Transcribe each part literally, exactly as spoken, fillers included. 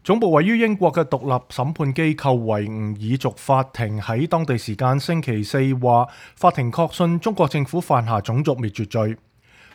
總部位於英國嘅獨立審判機構維吾爾族法庭喺當地時間星期四話，法庭確信中國政府犯下種族滅絕罪。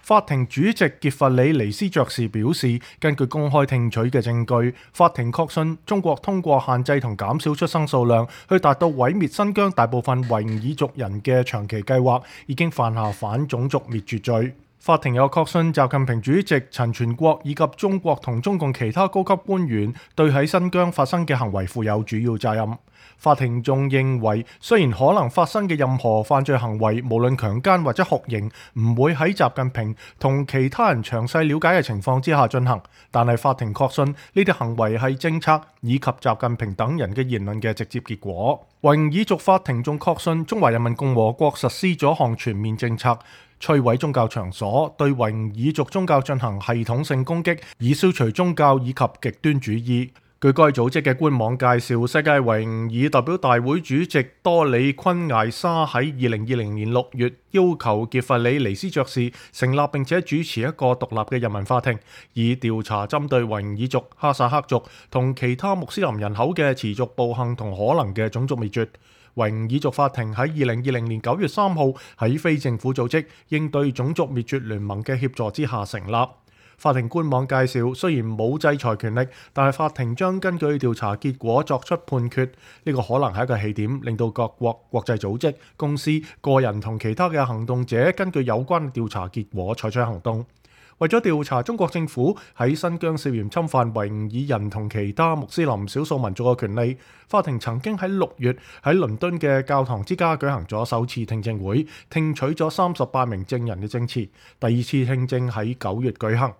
法庭主席傑弗里尼斯爵士表示，根據公開聽取嘅證據，法庭確信中國通過限制同減少出生數量，去達到毀滅新疆大部分維吾爾族人嘅長期計劃，已經犯下反種族滅絕罪。法庭又確信習近平主席、陳全國以及中國同中共其他高級官員對喺新疆發生嘅行為負有主要責任。法庭仲認為，雖然可能發生嘅任何犯罪行為，無論強姦或者酷刑，唔會喺習近平同其他人詳細了解嘅情況之下進行，但係法庭確信呢啲行為係政策以及習近平等人嘅言論嘅直接結果。維吾爾族法庭仲確信中華人民共和國實施咗項全面政策，摧毀宗教場所，對維吾爾族宗教進行系統性攻擊，以消除宗教以及極端主義。據該組織嘅官網介紹，世界維吾爾代表大會主席多里昆艾沙喺二零二零年六月要求傑弗里尼斯爵士成立並且主持一個獨立嘅人民法庭，以調查針對維吾爾族、哈薩克族同其他穆斯林人口嘅持續暴行同可能嘅種族滅絕。維吾爾族法庭喺二零二零年九月三號喺非政府組織應對種族滅絕聯盟嘅協助之下成立。法庭官網介紹，雖然冇制裁權力，但係法庭將根據調查結果作出判決。呢個可能係一個起點，令到各國、國際組織、公司、個人同其他嘅行動者根據有關調查結果採取行動。為咗調查中國政府喺新疆涉嫌侵犯維吾爾人同其他穆斯林少數民族嘅權利，法庭曾經喺六月喺倫敦嘅教堂之家舉行咗首次聽證會，聽取咗三十八名證人嘅證詞。第二次聽證喺九月舉行。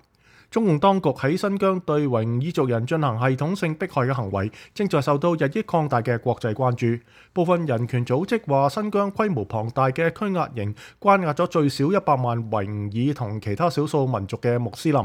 中共當局喺新疆對維吾爾族人進行系統性迫害嘅行為，正在受到日益擴大嘅國際關注。部分人權組織話，新疆規模龐大嘅拘押營關押咗最少一百萬維吾爾同其他少數民族嘅穆斯林。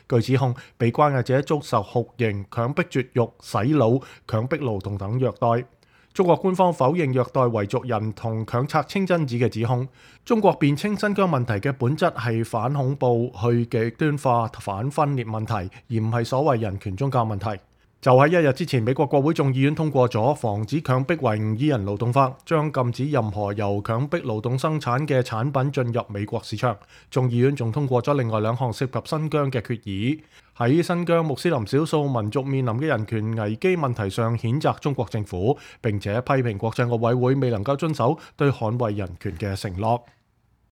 據指控，被關押者遭受酷刑、強迫絕育、洗腦、強迫勞動等虐待。中國官方否認虐待維族人同強拆清真寺嘅指控。中國辯稱新疆問題嘅本質係反恐怖、去極端化、反分裂問題，而唔係所謂人權宗教問題。就喺一日之前，美國國會眾議院通過咗防止強迫維吾爾人勞動法，將禁止任何由強迫勞動生產嘅產品進入美國市場。眾議院仲通過咗另外兩項涉及新疆嘅決議，喺新疆穆斯林少數民族面臨嘅人權危機問題上譴責中國政府，並且批評國際奧委會未能夠遵守對捍衛人權嘅承諾。